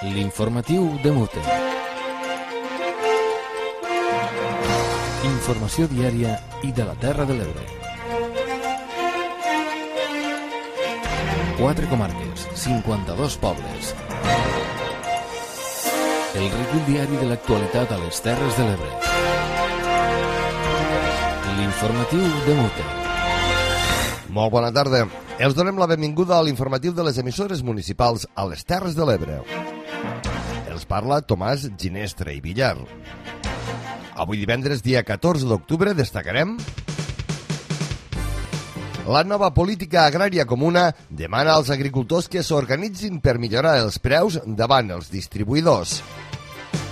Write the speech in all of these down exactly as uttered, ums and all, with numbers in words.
L'informatiu de Mute. Informació diària i de la Terra de l'Ebre. Quatre comarques, cinquanta-dos pobles. El recull diari de l'actualitat a les Terres de l'Ebre. L'informatiu de Mute. Molt bona tarda. Els donem la benvinguda a l'informatiu de les emissores municipals a les Terres de l'Ebre. Els parla Tomàs Ginestre i Villar. Avui divendres, dia catorze d'octubre, destacarem: la nova política agrària comuna demana als agricultors que s'organitzin per millorar els preus davant els distribuïdors.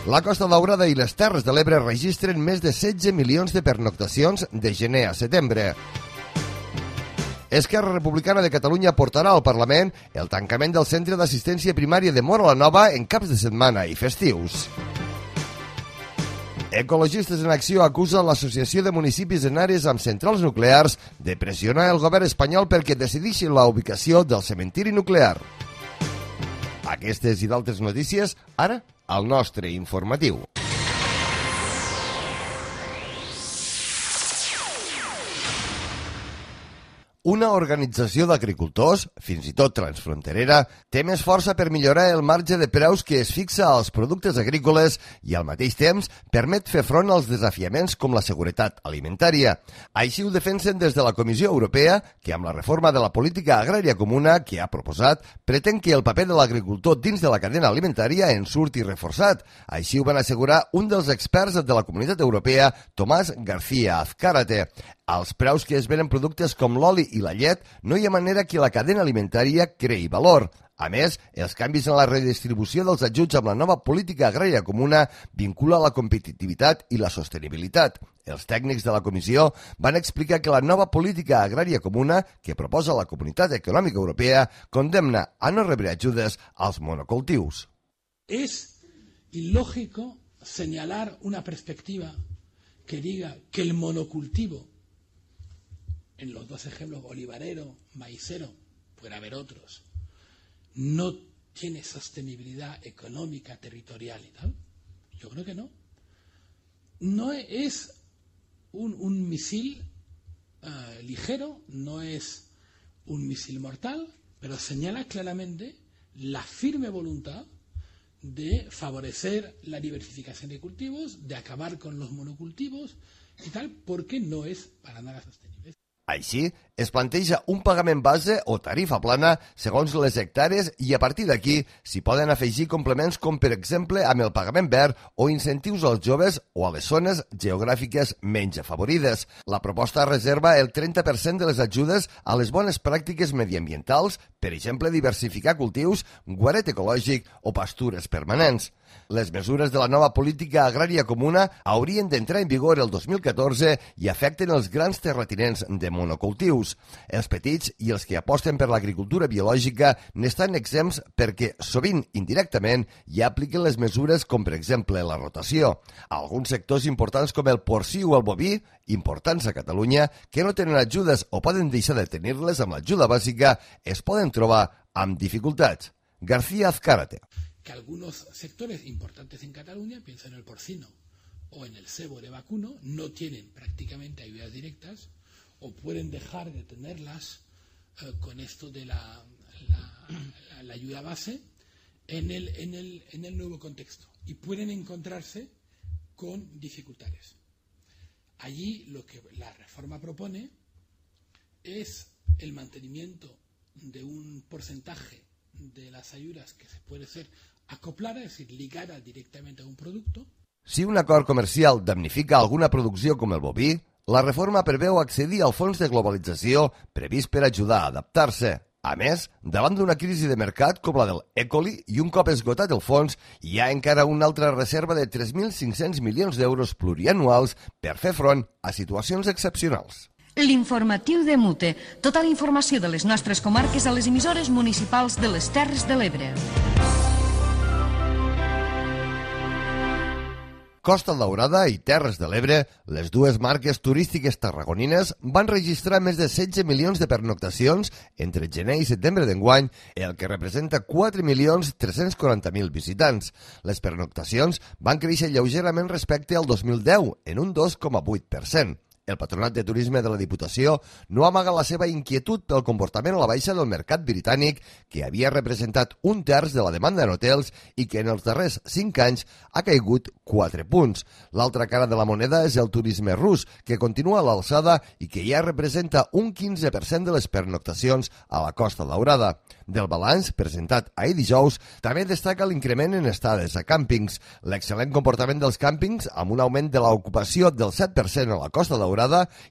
La Costa Daurada i les Terres de l'Ebre registren més de setze milions de pernoctacions de gener a setembre. Esquerra Republicana de Catalunya portarà al Parlament el tancament del Centre d'Assistència Primària de Móra la Nova en caps de setmana i festius. Ecologistes en Acció acusen l'Associació de Municipis en àrees amb centrals nuclears de pressionar el govern espanyol perquè decideixi la ubicació del cementiri nuclear. Aquestes i d'altres notícies, ara, al nostre informatiu. Una organització d'agricultors, fins i tot transfronterera, té més força per millorar el marge de preus que es fixa als productes agrícoles i al mateix temps permet fer front als desafiaments com la seguretat alimentària. Així ho defensen des de la Comissió Europea, que amb la reforma de la política agrària comuna que ha proposat, pretén que el paper de l'agricultor dins de la cadena alimentària en surti reforçat. Així ho van assegurar un dels experts de la Comunitat Europea, Tomàs García Azcárate. Als preus que es venen productes com l'oli i la llet, no hi ha manera que la cadena alimentària creï valor. A més, els canvis en la redistribució dels ajuts amb la nova política agrària comuna vincula la competitivitat i la sostenibilitat. Els tècnics de la comissió van explicar que la nova política agrària comuna que proposa la Comunitat Econòmica Europea condemna a no rebre ajudes als monocultius. Es ilógico señalar una perspectiva que diga que el monocultivo, en los dos ejemplos, olivarero, maicero, puede haber otros, no tiene sostenibilidad económica, territorial y tal. Yo creo que no. No es un, un misil uh, ligero, no es un misil mortal, pero señala claramente la firme voluntad de favorecer la diversificación de cultivos, de acabar con los monocultivos y tal, porque no es para nada sostenible. Així, es planteja un pagament base o tarifa plana segons les hectàrees i a partir d'aquí s'hi poden afegir complements com per exemple amb el pagament verd o incentius als joves o a les zones geogràfiques menys afavorides. La proposta reserva el trenta per cent de les ajudes a les bones pràctiques mediambientals, per exemple diversificar cultius, guaret ecològic o pastures permanents. Les mesures de la nova política agrària comuna haurien d'entrar en vigor el dos mil catorze i afecten els grans terratinents de monocultius. Els petits i els que aposten per l'agricultura biològica n'estan exempts perquè, sovint indirectament, ja apliquen les mesures com, per exemple, la rotació. Alguns sectors importants com el porcí o el boví, importants a Catalunya, que no tenen ajudes o poden deixar de tenir-les amb l'ajuda bàsica, es poden trobar amb dificultats. García Azcárate. Que algunos sectores importantes en Cataluña, pienso en el porcino o en el cebo de vacuno, no tienen prácticamente ayudas directas o pueden dejar de tenerlas eh, con esto de la, la, la ayuda base en el, en, el, en el nuevo contexto y pueden encontrarse con dificultades. Allí lo que la reforma propone es el mantenimiento de un porcentaje de las ayudas que se puede ser acoplada, es decir, ligada directamente a un producto. Si un acord comercial damnifica alguna producció com el boví, la reforma preveu accedir al fons de globalització previst per ajudar a adaptar-se. A més, davant d'una crisi de mercat com la del E. coli i un cop esgotat el fons, hi ha encara una altra reserva de tres mil cinc-cents milions d'euros plurianuals per fer front a situacions excepcionals. L'informatiu de Mute. Tota la informació de les nostres comarques a les emissores municipals de les Terres de l'Ebre. Costa Daurada i Terres de l'Ebre, les dues marques turístiques tarragonines van registrar més de setze milions de pernoctacions entre gener i setembre d'enguany, el que representa quatre milions tres-cents quaranta mil visitants. Les pernoctacions van créixer lleugerament respecte al dos mil deu, en un dos coma vuit per cent. El Patronat de Turisme de la Diputació no amaga la seva inquietud pel comportament a la baixa del mercat britànic, que havia representat un terç de la demanda en hotels i que en els darrers cinc anys ha caigut quatre punts. L'altra cara de la moneda és el turisme rus, que continua a l'alçada i que ja representa un quinze per cent de les pernoctacions a la Costa Daurada. Del balanç presentat ahir dijous, també destaca l'increment en estades a càmpings. L'excel·lent comportament dels càmpings, amb un augment de l'ocupació del set per cent a la Costa Daurada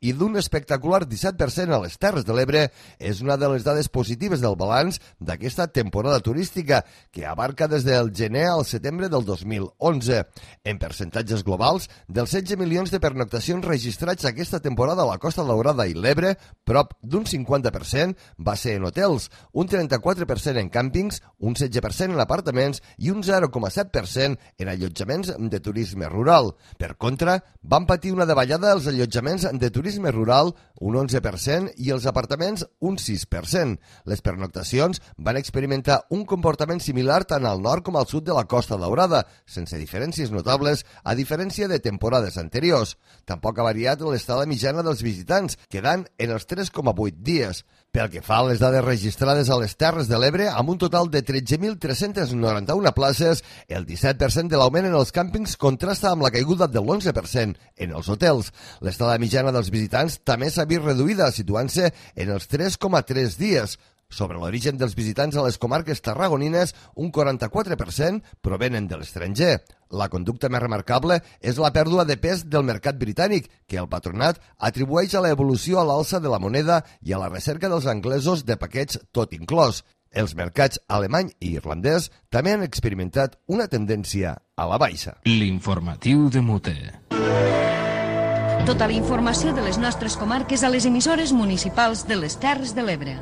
i d'un espectacular disset per cent a les Terres de l'Ebre, és una de les dades positives del balanç d'aquesta temporada turística, que abarca des del gener al setembre del dos mil onze. En percentatges globals, dels setze milions de pernoctacions registrats aquesta temporada a la Costa Daurada i l'Ebre, prop d'un cinquanta per cent va ser en hotels, un trenta-quatre per cent en càmpings, un setze per cent en apartaments i un zero coma set per cent en allotjaments de turisme rural. Per contra, van patir una davallada els allotjaments de turisme rural, un onze per cent, i els apartaments, un sis per cent. Les pernoctacions van experimentar un comportament similar tant al nord com al sud de la Costa Daurada, sense diferències notables, a diferència de temporades anteriors. Tampoc ha variat l'estada mitjana dels visitants, quedant en els tres coma vuit dies. Pel que fa a les dades registrades a les Terres de l'Ebre, amb un total de tretze mil tres-cents noranta-una places, el disset per cent de l'augment en els càmpings contrasta amb la caiguda de l'onze per cent en els hotels. L'estada mitjana dels visitants també s'ha vist reduïda, situant-se en els tres coma tres dies. Sobre l'origen dels visitants a les comarques tarragonines, un quaranta-quatre per cent provenen de l'estranger. La conducta més remarcable és la pèrdua de pes del mercat britànic, que el patronat atribueix a l'evolució a l'alça de la moneda i a la recerca dels anglesos de paquets tot inclòs. Els mercats alemany i irlandès també han experimentat una tendència a la baixa. L'informatiu de Mute. Tota la informació de les nostres comarques a les emissores municipals de les Terres de l'Ebre.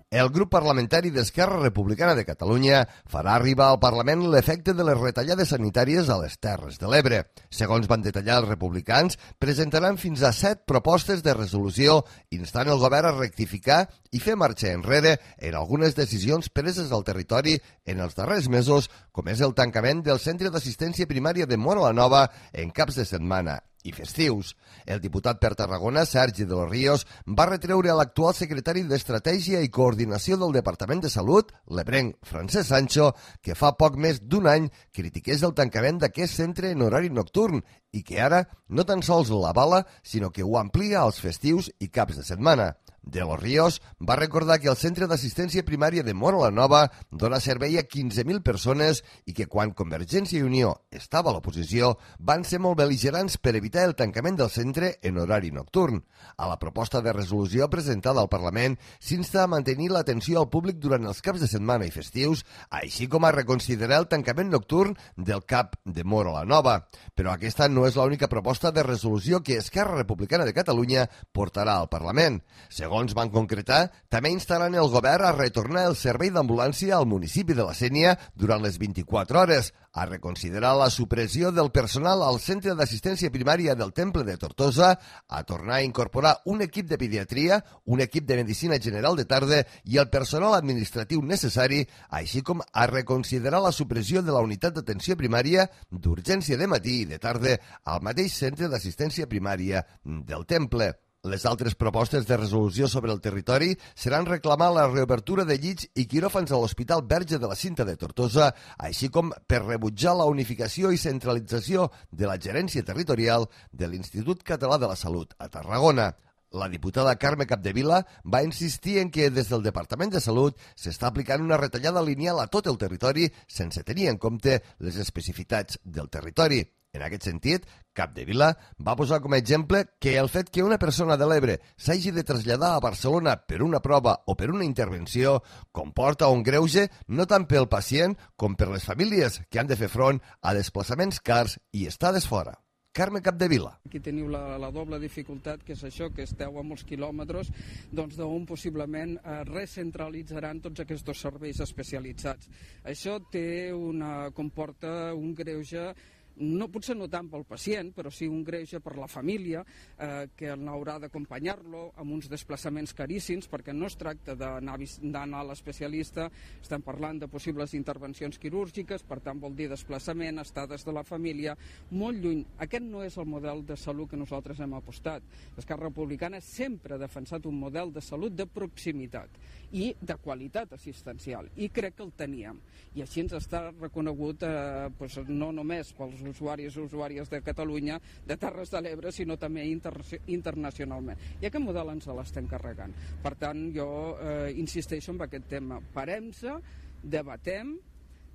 El grup parlamentari d'Esquerra Republicana de Catalunya farà arribar al Parlament l'efecte de les retallades sanitàries a les Terres de l'Ebre. Segons van detallar els republicans, presentaran fins a set propostes de resolució instant el govern a rectificar i fer marxa enrere en algunes decisions preses al territori en els darrers mesos, com és el tancament del centre d'assistència primària de Móra la Nova en caps de setmana i festius. El diputat per Tarragona, Sergi de los Ríos, va retreure a l'actual secretari d'Estratègia i Coordinació del Departament de Salut, l'ebrenc Francesc Sancho, que fa poc més d'un any critiqués el tancament d'aquest centre en horari nocturn i que ara no tan sols l'avala, sinó que ho amplia als festius i caps de setmana. De los Ríos va recordar que el centre d'assistència primària de Móra la Nova dona servei a quinze mil persones i que quan Convergència i Unió estava a l'oposició van ser molt bel·ligerants per evitar el tancament del centre en horari nocturn. A la proposta de resolució presentada al Parlament s'insta a mantenir l'atenció al públic durant els caps de setmana i festius, així com a reconsiderar el tancament nocturn del CAP de Móra la Nova. Però aquesta no és l'única proposta de resolució que Esquerra Republicana de Catalunya portarà al Parlament. Segons van concretar, també instaran el govern a retornar el servei d'ambulància al municipi de la Sénia durant les vint-i-quatre hores, a reconsiderar la supressió del personal al centre d'assistència primària del Temple de Tortosa, a tornar a incorporar un equip de pediatria, un equip de medicina general de tarda i el personal administratiu necessari, així com a reconsiderar la supressió de la unitat d'atenció primària d'urgència de matí i de tarda al mateix centre d'assistència primària del Temple. Les altres propostes de resolució sobre el territori seran reclamar la reobertura de llits i quiròfans a l'Hospital Verge de la Cinta de Tortosa, així com per rebutjar la unificació i centralització de la gerència territorial de l'Institut Català de la Salut a Tarragona. La diputada Carme Capdevila va insistir en que des del Departament de Salut s'està aplicant una retallada lineal a tot el territori sense tenir en compte les especificitats del territori. En aquest sentit, Capdevila va posar com a exemple que el fet que una persona de l'Ebre s'hagi de traslladar a Barcelona per una prova o per una intervenció comporta un greuge no tant pel pacient com per les famílies que han de fer front a desplaçaments cars i estades fora. Carme Capdevila. Aquí teniu la, la doble dificultat, que és això, que esteu a molts quilòmetres, doncs d'on possiblement eh, recentralitzaran tots aquests serveis especialitzats. Això té una, comporta un greuge, no, potser no tant pel pacient, però sí un greuge per la família, eh, que haurà d'acompanyar-lo amb uns desplaçaments caríssims, perquè no es tracta d'anar a l'especialista, estem parlant de possibles intervencions quirúrgiques, per tant vol dir desplaçament, estades de la família, molt lluny. Aquest no és el model de salut que nosaltres hem apostat. L'Esquerra Republicana sempre ha defensat un model de salut de proximitat i de qualitat assistencial, i crec que el teníem. I així ens està reconegut eh, doncs no només pels usuaris i usuàries de Catalunya, de Terres de l'Ebre, sinó també inter internacionalment. I aquest model ens l'estem carregant. Per tant, jo eh, insisteixo en aquest tema. Parem-se, debatem,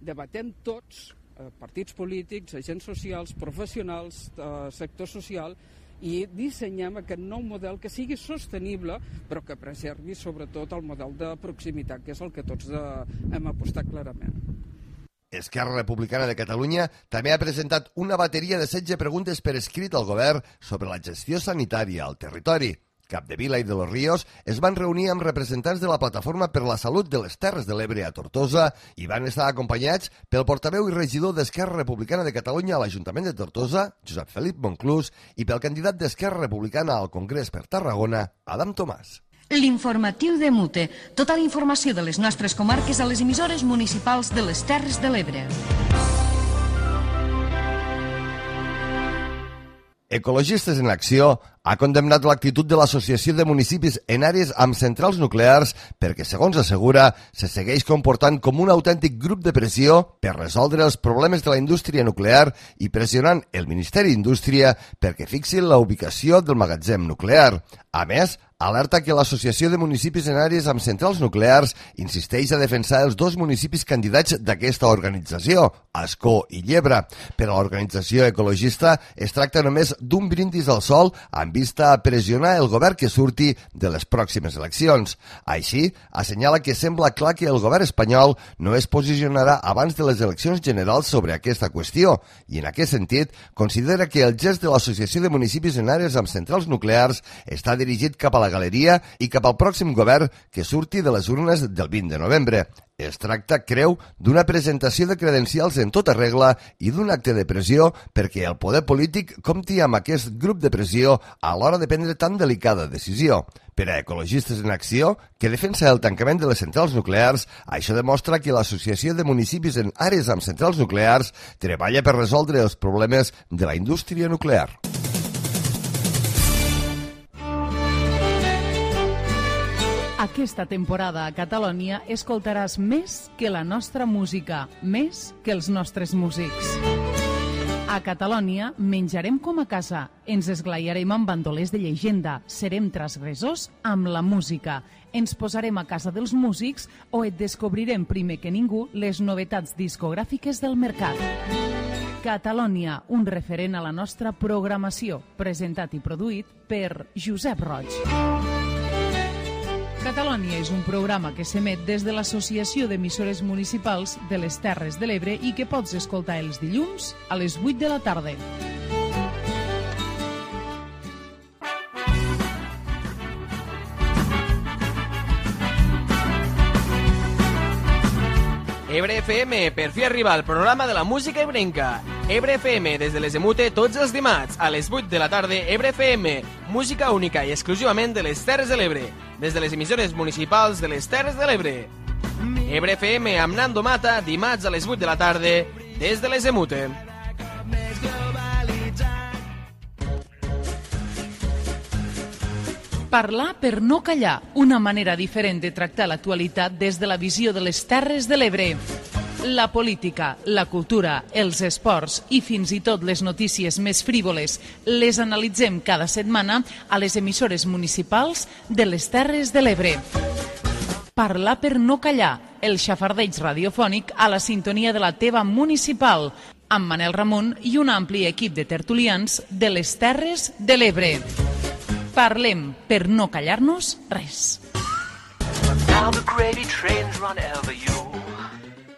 debatem tots, eh, partits polítics, agents socials, professionals, eh, sector social, i dissenyem aquest nou model que sigui sostenible, però que preservi sobretot el model de proximitat, que és el que tots de, hem apostat clarament. Esquerra Republicana de Catalunya també ha presentat una bateria de setze preguntes per escrit al govern sobre la gestió sanitària al territori. Capdevila i de los Ríos es van reunir amb representants de la Plataforma per la Salut de les Terres de l'Ebre a Tortosa i van estar acompanyats pel portaveu i regidor d'Esquerra Republicana de Catalunya a l'Ajuntament de Tortosa, Josep Felip Monclús, i pel candidat d'Esquerra Republicana al Congrés per Tarragona, Adam Tomàs. L'informatiu de Mute. Tota la informació de les nostres comarques a les emissores municipals de les Terres de l'Ebre. Ecologistes en Acció ha condemnat l'actitud de l'Associació de Municipis en àrees amb centrals nuclears perquè, segons assegura, se segueix comportant com un autèntic grup de pressió per resoldre els problemes de la indústria nuclear i pressionant el Ministeri d'Indústria perquè fixi la ubicació del magatzem nuclear. A més, alerta que l'Associació de Municipis en àrees amb centrals nuclears insisteix a defensar els dos municipis candidats d'aquesta organització, Ascó i Llebre. Per a l'organització ecologista es tracta només d'un brindis al sol amb vista a pressionar el govern que surti de les pròximes eleccions. Així, assenyala que sembla clar que el govern espanyol no es posicionarà abans de les eleccions generals sobre aquesta qüestió i, en aquest sentit, considera que el gest de l'Associació de Municipis en àrees amb centrals nuclears està dirigit cap a la galeria i cap al pròxim govern que surti de les urnes del vint de novembre. Es tracta, creu, d'una presentació de credencials en tota regla i d'un acte de pressió perquè el poder polític compti amb aquest grup de pressió a l'hora de prendre tan delicada decisió. Per a Ecologistes en Acció, que defensa el tancament de les centrals nuclears, això demostra que l'Associació de Municipis en àrees amb centrals nuclears treballa per resoldre els problemes de la indústria nuclear. Aquesta temporada a Catalunya escoltaràs més que la nostra música, més que els nostres músics. A Catalunya menjarem com a casa, ens esglaiarem amb bandolers de llegenda, serem transgressors amb la música, ens posarem a casa dels músics o et descobrirem primer que ningú les novetats discogràfiques del mercat. Catalunya, un referent a la nostra programació, presentat i produït per Josep Roig. Catalunya és un programa que s'emet des de l'Associació d'Emissores Municipals de les Terres de l'Ebre i que pots escoltar els dilluns a les vuit de la tarda. Ebre F M, per fi arriba el programa de la música ebrenca. Ebre F M, des de les Emute, tots els dimarts, a les vuit de la tarda, Ebre F M, música única i exclusivament de les Terres de l'Ebre, des de les emissores municipals de les Terres de l'Ebre. Ebre F M amb Nando Mata, dimarts a les vuit de la tarda, des de les Emute. Parlar per no callar, una manera diferent de tractar l'actualitat des de la visió de les Terres de l'Ebre. La política, la cultura, els esports i fins i tot les notícies més frívoles les analitzem cada setmana a les emissores municipals de les Terres de l'Ebre. Parlar per no callar, el xafardeig radiofònic a la sintonia de la teva municipal, amb Manel Ramon i un ampli equip de tertulians de les Terres de l'Ebre. Parlem per no callar-nos res.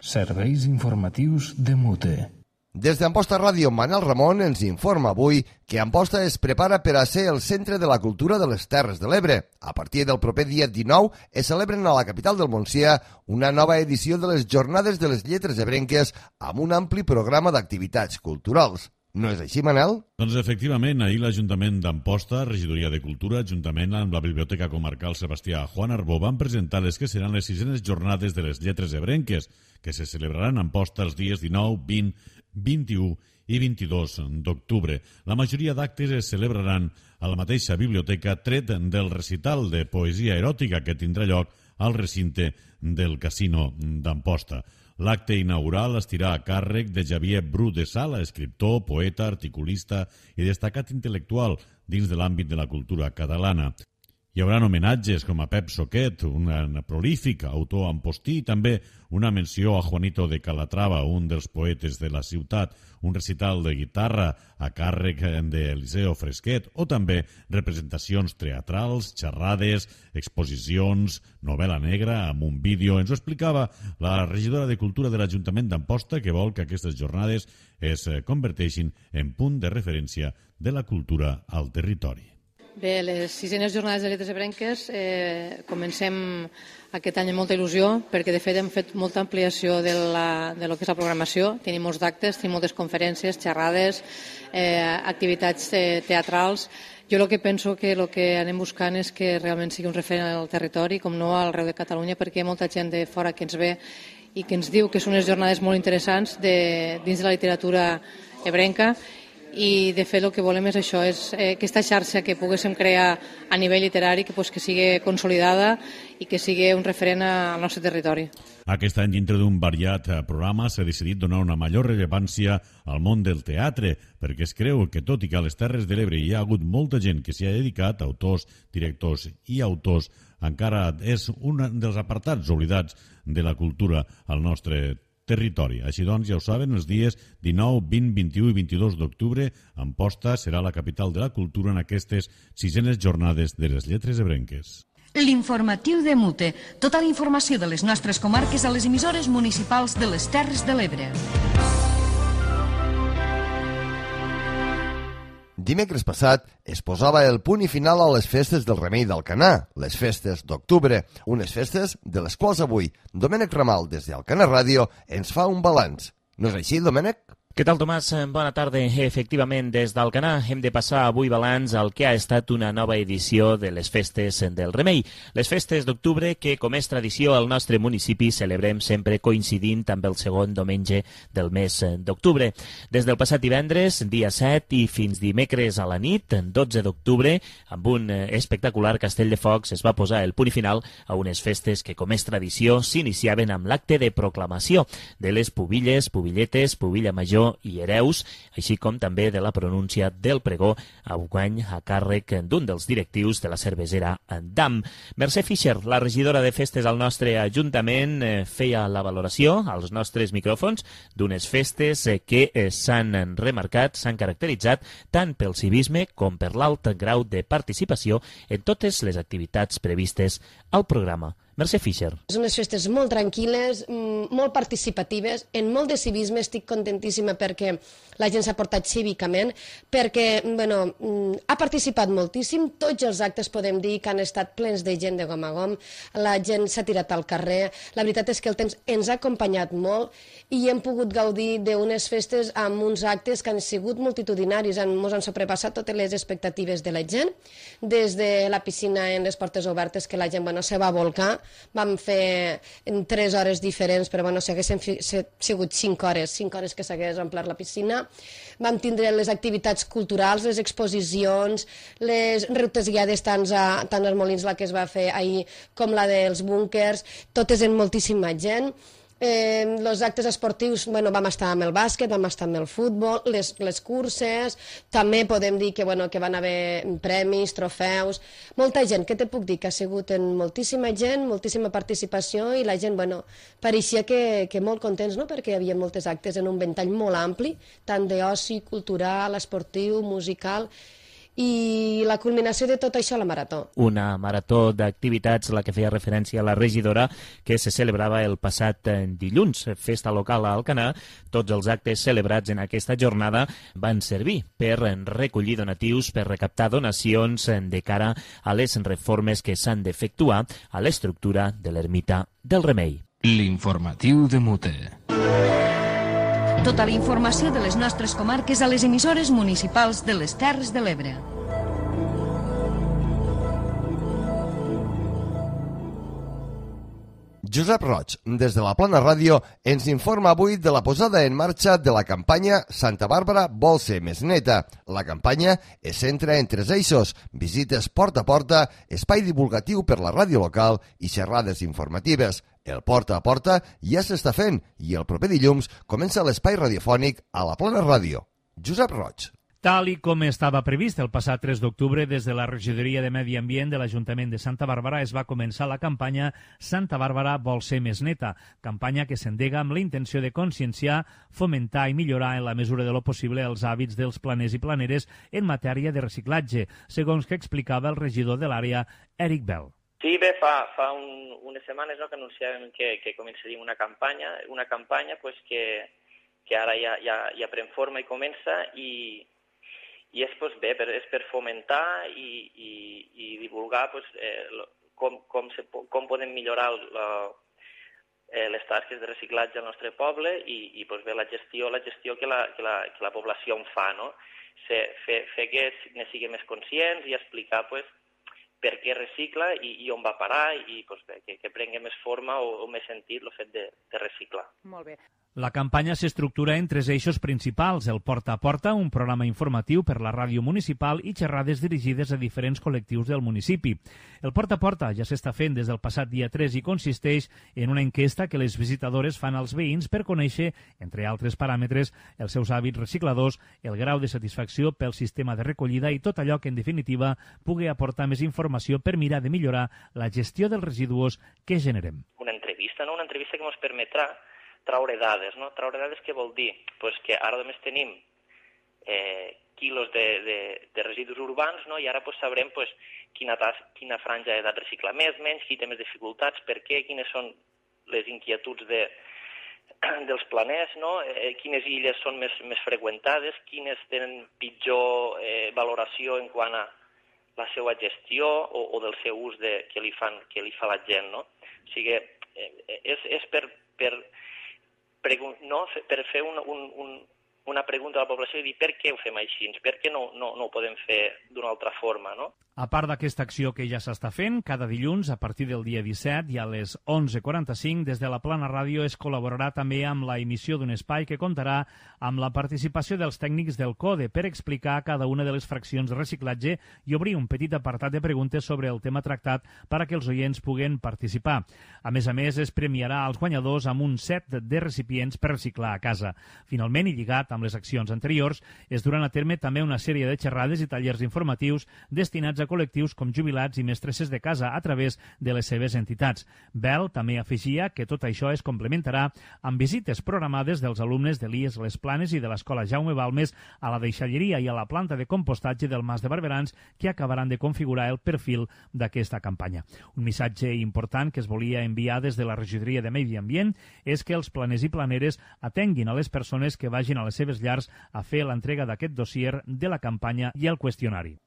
Serveis informatius de Mute. Des d'Amposta Ràdio, Manel Ramon ens informa avui que Amposta es prepara per a ser el centre de la cultura de les Terres de l'Ebre. A partir del proper dia dinou es celebren a la capital del Montsià una nova edició de les Jornades de les Lletres Ebrenques amb un ampli programa d'activitats culturals. No és així, Manel? Doncs efectivament, ahir l'Ajuntament d'Amposta, Regidoria de Cultura, juntament amb la Biblioteca Comarcal Sebastià Juan Arbó, van presentar les que seran les sisenes Jornades de les Lletres Ebrenques, que se celebraran a Amposta els dies dinou, vint, vint-i-u i vint-i-dos d'octubre. La majoria d'actes es celebraran a la mateixa biblioteca, tret del recital de poesia eròtica que tindrà lloc al recinte del Casino d'Amposta. L'acte inaugural estirà a càrrec de Xavier Bru de Sala, escriptor, poeta, articulista i destacat intel·lectual dins de l'àmbit de la cultura catalana. Hi haurà homenatges com a Pep Soquet, un prolífic autor ampostí, i també una menció a Juanito de Calatrava, un dels poetes de la ciutat, un recital de guitarra a càrrec d'Eliseo Fresquet, o també representacions teatrals, xerrades, exposicions, novel·la negra amb un vídeo. Ens ho explicava la regidora de Cultura de l'Ajuntament d'Amposta, que vol que aquestes jornades es converteixin en punt de referència de la cultura al territori. Bé, les sisenes Jornades de Lletres Ebrenques eh, comencem aquest any amb molta il·lusió, perquè de fet hem fet molta ampliació de, la, de lo que és la programació. Tenim molts actes, tenim moltes conferències, xerrades, eh, activitats eh, teatrals. Jo el que penso que el que anem buscant és que realment sigui un referent al territori, com no arreu de Catalunya, perquè hi ha molta gent de fora que ens ve i que ens diu que són unes jornades molt interessants de, dins de la literatura ebrenca. I de fet el que volem és això, és eh, aquesta xarxa que poguéssim crear a nivell literari, que, pues, que sigui consolidada i que sigui un referent al nostre territori. Aquest any, dintre d'un variat programa, s'ha decidit donar una major rellevància al món del teatre, perquè es creu que, tot i que a les Terres de l'Ebre hi ha hagut molta gent que s'hi ha dedicat, autors, directors i autors, encara és un dels apartats oblidats de la cultura al nostre territori. territori. Així doncs, ja ho saben, els dies dinou, vint, vint-i-u i vint-i-dos d'octubre, Amposta serà la capital de la cultura en aquestes sisenes jornades de les Lletres Ebrenques. L'informatiu de Mute. Tota la informació de les nostres comarques a les emissores municipals de les Terres de l'Ebre. Dimecres passat es posava el punt i final a les festes del Remei d'Alcanar, les festes d'octubre, unes festes de les quals avui Domènec Ramal, des d'Alcanar Ràdio, ens fa un balanç. No és així, Domènec? Què tal, Tomàs? Bona tarda. Efectivament, des d'Alcanar hem de passar avui balanç al que ha estat una nova edició de les festes del Remei. Les festes d'octubre que, com és tradició al nostre municipi, celebrem sempre coincidint amb el segon diumenge del mes d'octubre. Des del passat divendres, dia set, i fins dimecres a la nit, dotze d'octubre, amb un espectacular castell de focs, es va posar el punt i final a unes festes que, com és tradició, s'iniciaven amb l'acte de proclamació de les pubilles, pubilletes, pubilla major i hereus, així com també de la pronúncia del pregó, enguany a càrrec d'un dels directius de la cervesera Dam. Mercè Fischer, la regidora de festes al nostre Ajuntament, feia la valoració als nostres micròfons d'unes festes que s'han remarcat, s'han caracteritzat tant pel civisme com per l'alt grau de participació en totes les activitats previstes al programa. Mercè Fischer. Són unes festes molt tranquil·les, molt participatives, en molt de civisme. Estic contentíssima perquè la gent s'ha portat cívicament, perquè bueno, ha participat moltíssim. Tots els actes podem dir que han estat plens de gent de gom a gom, la gent s'ha tirat al carrer. La veritat és que el temps ens ha acompanyat molt i hem pogut gaudir d'unes festes amb uns actes que han sigut multitudinaris, ens han sobrepassat totes les expectatives de la gent, des de la piscina en les portes obertes, que la gent bueno, se va volcar. Vam fer en tres hores diferents, però bueno, si haguessin sigut cinc hores, cinc hores que s'hagués omplert la piscina. Vam tindre les activitats culturals, les exposicions, les rutes guiades tant, a, tant als Molins, la que es va fer ahir, com la dels búnkers, totes en moltíssima gent. Eh, els actes esportius, bueno, vam estar amb el bàsquet, vam estar amb el futbol, les, les curses, també podem dir que, bueno, que van haver premis, trofeus, molta gent, què te puc dir? Que ha sigut en moltíssima gent, moltíssima participació i la gent, bueno, pareixia que, que molt contents, no?, perquè hi havia moltes actes en un ventall molt ampli, tant d'oci, cultural, esportiu, musical, i la culminació de tot això, la marató. Una marató d'activitats, la que feia referència a la regidora, que se celebrava el passat dilluns. Festa local a Alcanar. Tots els actes celebrats en aquesta jornada van servir per recollir donatius, per recaptar donacions de cara a les reformes que s'han d'efectuar a l'estructura de l'ermita del Remei. L'informatiu de Mute. Tota la informació de les nostres comarques a les emissores municipals de les Terres de l'Ebre. Josep Roig, des de la Plana Ràdio, ens informa avui de la posada en marxa de la campanya Santa Bàrbara vol ser més neta. La campanya es centra en tres eixos: visites porta a porta, espai divulgatiu per la ràdio local i xerrades informatives. El porta a porta ja s'està fent i el proper dilluns comença l'espai radiofònic a la Plana Ràdio. Josep Roig. Tal i com estava previst el passat tres d'octubre, des de la Regidoria de Medi Ambient de l'Ajuntament de Santa Bàrbara es va començar la campanya Santa Bàrbara vol ser més neta, campanya que s'endega amb la intenció de conscienciar, fomentar i millorar en la mesura de lo possible els hàbits dels planers i planeres en matèria de reciclatge, segons que explicava el regidor de l'àrea, Eric Bell. Sí, bé, fa, fa un, unes setmanes no, que anunciàvem que, que començaríem una campanya, una campanya pues, que, que ara ja, ja, ja pren forma i comença i I és, pues, bé, per, és per fomentar i, i, i divulgar pues, eh, com, com, se, com podem millorar la, eh, les tasques de reciclatge al nostre poble i, i pues, bé, la gestió, la gestió que, la, que, la, que la població en fa, no? Se, fer, fer que ne siguin més conscients i explicar pues, per què recicla i, i on va parar i pues, bé, que, que prengui més forma o, o més sentit el fet de, de reciclar. Molt bé. La campanya s'estructura en tres eixos principals: el Porta a Porta, un programa informatiu per la ràdio municipal i xerrades dirigides a diferents col·lectius del municipi. El Porta a Porta ja s'està fent des del passat dia tres i consisteix en una enquesta que les visitadores fan als veïns per conèixer, entre altres paràmetres, els seus hàbits recicladors, el grau de satisfacció pel sistema de recollida i tot allò que, en definitiva, pugui aportar més informació per mirar de millorar la gestió dels residus que generem. Una entrevista, no? Una entrevista que ens permetrà traure dades, no? Traure dades què vol dir? Pues que ara només tenim eh, quilos de, de, de residus urbans, no? I ara pues, sabrem pues, quina, tas, quina franja ha de reciclar més, menys, qui té més dificultats, per què, quines són les inquietuds de, dels planers, no? Eh, quines illes són més, més freqüentades, quines tenen pitjor eh, valoració en quant a la seva gestió o, o del seu ús de, que, li fan, que li fa la gent, no? O sigui, eh, és, és per... per no, per fer un, un, un, una pregunta a la població i dir per què ho fem així, per què no, no, no ho podem fer d'una altra forma, no? A part d'aquesta acció que ja s'està fent, cada dilluns, a partir del dia disset i a les onze quaranta-cinc, des de la Plana Ràdio es col·laborarà també amb la emissió d'un espai que comptarà amb la participació dels tècnics del CODE per explicar cada una de les fraccions de reciclatge i obrir un petit apartat de preguntes sobre el tema tractat per a que els oients puguen participar. A més a més, es premiarà als guanyadors amb un set de recipients per reciclar a casa. Finalment, i lligat amb les accions anteriors, es duran a terme també una sèrie de xerrades i tallers informatius destinats a col·lectius com jubilats i mestresses de casa a través de les seves entitats. Bell també afegia que tot això es complementarà amb visites programades dels alumnes de l'I E S Les Planes i de l'Escola Jaume Balmes a la deixalleria i a la planta de compostatge del Mas de Barberans, que acabaran de configurar el perfil d'aquesta campanya. Un missatge important que es volia enviar des de la Regidoria de Medi Ambient és que els planers i planeres atenguin a les persones que vagin a les seves llars a fer l'entrega d'aquest dossier de la campanya i el qüestionari.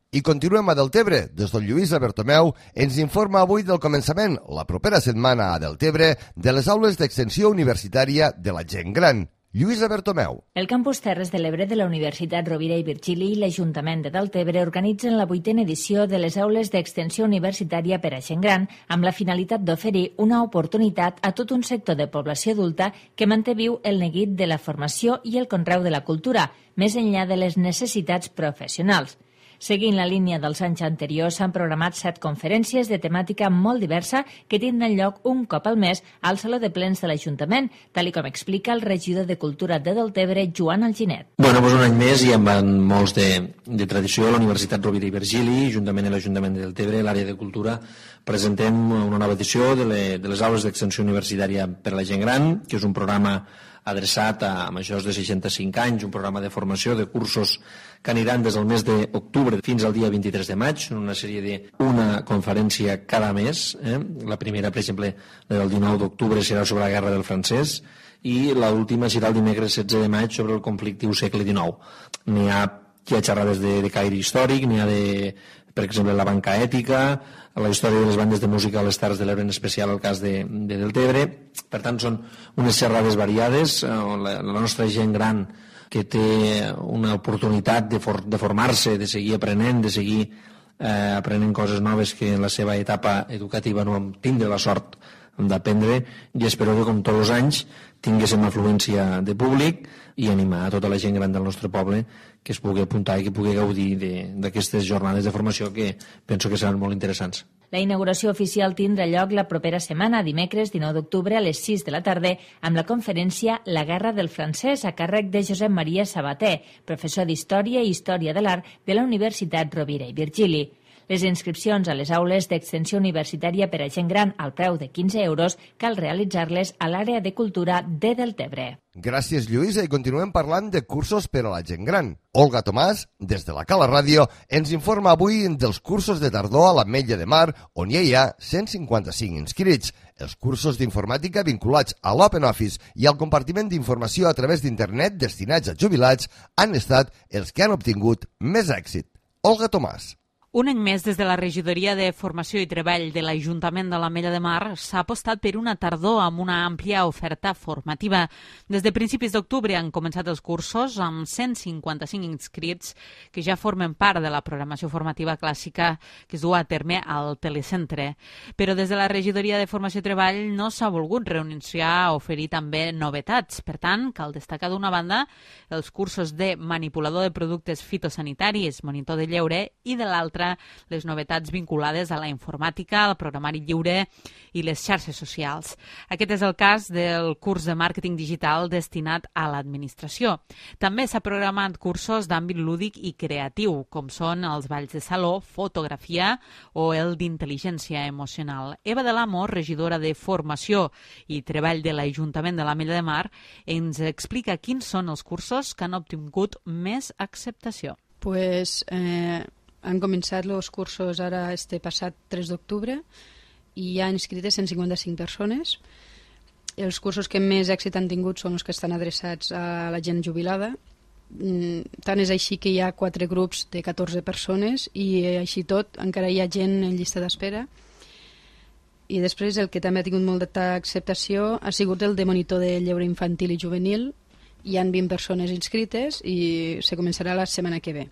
I continuem a Deltebre. Des del Lluïsa Bertomeu ens informa avui del començament, la propera setmana a Deltebre, de les aules d'extensió universitària de la gent gran. Lluïsa Bertomeu. El campus Terres de l'Ebre de la Universitat Rovira i Virgili i l'Ajuntament de Deltebre organitzen la vuitena edició de les aules d'extensió universitària per a gent gran amb la finalitat d'oferir una oportunitat a tot un sector de població adulta que manté viu el neguit de la formació i el conreu de la cultura, més enllà de les necessitats professionals. Seguint la línia dels anys anteriors, s'han programat set conferències de temàtica molt diversa que tindran lloc un cop al mes al Saló de Plens de l'Ajuntament, tal i com explica el regidor de Cultura de Deltebre, Joan Alginet. Bueno, doncs un any més i amb molts de, de tradició, la Universitat Rovira i Virgili, juntament amb l'Ajuntament de Deltebre, l'àrea de cultura, presentem una nova edició de, le, de les aules d'extensió universitària per a la gent gran, que és un programa adreçat a majors de seixanta-cinc anys, un programa de formació de cursos que aniran des del mes d'octubre fins al dia vint-i-tres de maig, en una sèrie d'una conferència cada mes. Eh? La primera, per exemple, la del dinou d'octubre, serà sobre la guerra del francès, i l'última serà el dimecres setze de maig sobre el conflictiu segle dinou. N'hi ha, hi ha xerrades de, de caire històric, n'hi ha de, per exemple, la banca ètica, la història de les bandes de música a les Terres de l'Ebre, en especial el cas de, de Deltebre. Per tant, són unes xerrades variades. La, la nostra gent gran que té una oportunitat de, for, de formar-se, de seguir aprenent, de seguir eh, aprenent coses noves que en la seva etapa educativa no vam tindre la sort d'aprendre, i espero que, com tots els anys, tinguéssim afluència de públic i animar a tota la gent gran del nostre poble que es pugui apuntar i que pugui gaudir d'aquestes jornades de formació que penso que seran molt interessants. La inauguració oficial tindrà lloc la propera setmana, dimecres dinou d'octubre a les sis de la tarda, amb la conferència La guerra del francès, a càrrec de Josep Maria Sabater, professor d'Història i Història de l'Art de la Universitat Rovira i Virgili. Les inscripcions a les aules d'extensió universitària per a gent gran al preu de quinze euros cal realitzar-les a l'àrea de cultura de Deltebre. Gràcies, Lluïsa, i continuem parlant de cursos per a la gent gran. Olga Tomàs, des de la Cala Ràdio, ens informa avui dels cursos de tardor a l'Ametlla de Mar, on ja hi ha cent cinquanta-cinc inscrits. Els cursos d'informàtica vinculats a l'Open Office i al compartiment d'informació a través d'internet destinats a jubilats han estat els que han obtingut més èxit. Olga Tomàs. Un any més, des de la Regidoria de Formació i Treball de l'Ajuntament de l'Ametlla de Mar, s'ha apostat per una tardor amb una àmplia oferta formativa. Des de principis d'octubre han començat els cursos amb cent cinquanta-cinc inscrits que ja formen part de la programació formativa clàssica que es du a terme al telecentre. Però des de la Regidoria de Formació i Treball no s'ha volgut renunciar a oferir també novetats. Per tant, cal destacar d'una banda els cursos de manipulador de productes fitosanitaris, monitor de lleure, i de l'altra les novetats vinculades a la informàtica, al programari lliure i les xarxes socials. Aquest és el cas del curs de màrqueting digital destinat a l'administració. També s'ha programat cursos d'àmbit lúdic i creatiu, com són els balls de saló, fotografia o el d'intel·ligència emocional. Eva de l'Amo, regidora de Formació i Treball de l'Ajuntament de l'Ametlla de Mar, ens explica quins són els cursos que han obtingut més acceptació. Pues... Eh... Han començat els cursos ara este passat tres d'octubre i hi ha inscrites cent cinquanta-cinc persones. Els cursos que més èxit han tingut són els que estan adreçats a la gent jubilada. Tant és així que hi ha quatre grups de catorze persones i així tot encara hi ha gent en llista d'espera. I després el que també ha tingut molta acceptació ha sigut el de monitor de lleure infantil i juvenil. Hi han vint persones inscrites i se començarà la setmana que ve.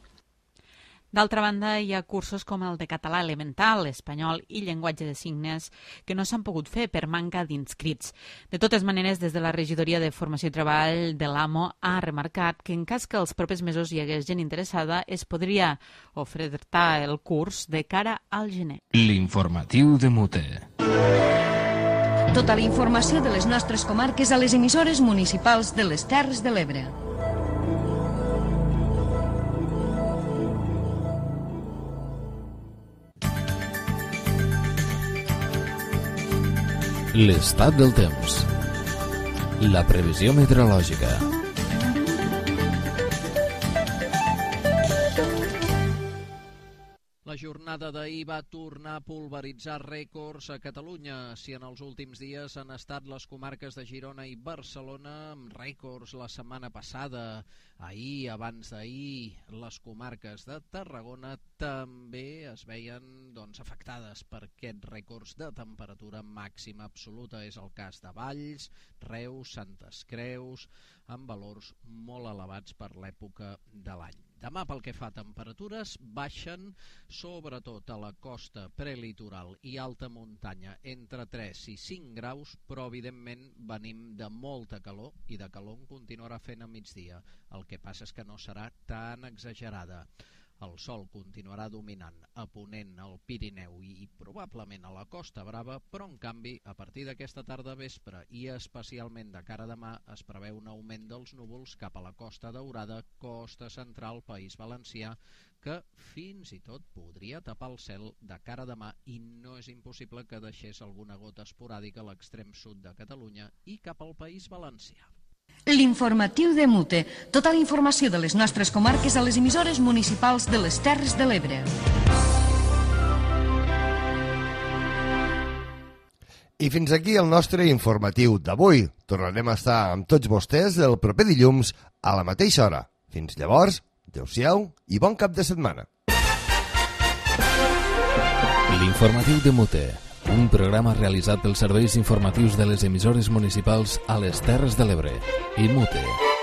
D'altra banda, hi ha cursos com el de català elemental, espanyol i llenguatge de signes que no s'han pogut fer per manca d'inscrits. De totes maneres, des de la Regidoria de Formació i Treball de l'AMO ha remarcat que en cas que els propers mesos hi hagués gent interessada, es podria ofertar el curs de cara al gener. L'informatiu de Mute. Tota la informació de les nostres comarques a les emissores municipals de les Terres de l'Ebre. L'estat del temps. La previsió meteorològica. La jornada d'ahir va tornar a pulveritzar rècords a Catalunya. Si en els últims dies han estat les comarques de Girona i Barcelona amb rècords la setmana passada, ahir, abans d'ahir, les comarques de Tarragona també es veien doncs, afectades per aquests rècords de temperatura màxima absoluta. És el cas de Valls, Reus, Santes Creus, amb valors molt elevats per l'època de l'any. Demà, pel que fa a temperatures, baixen sobretot a la costa prelitoral i alta muntanya entre tres i cinc graus, però evidentment venim de molta calor i de calor en continuarà fent a migdia. El que passa és que no serà tan exagerada. El sol continuarà dominant a ponent, al Pirineu i probablement a la Costa Brava, però en canvi a partir d'aquesta tarda vespre i especialment de cara a demà es preveu un augment dels núvols cap a la Costa Daurada, Costa Central, País Valencià, que fins i tot podria tapar el cel de cara a demà i no és impossible que deixés alguna gota esporàdica a l'extrem sud de Catalunya i cap al País Valencià. L'informatiu de Mute. Tota la informació de les nostres comarques a les emissores municipals de les Terres de l'Ebre. I fins aquí el nostre informatiu d'avui. Tornarem a estar amb tots vostès el proper dilluns a la mateixa hora. Fins llavors, adeu-siau i bon cap de setmana. L'informatiu de Mute, un programa realitzat pels serveis informatius de les emissores municipals a les Terres de l'Ebre i Mute.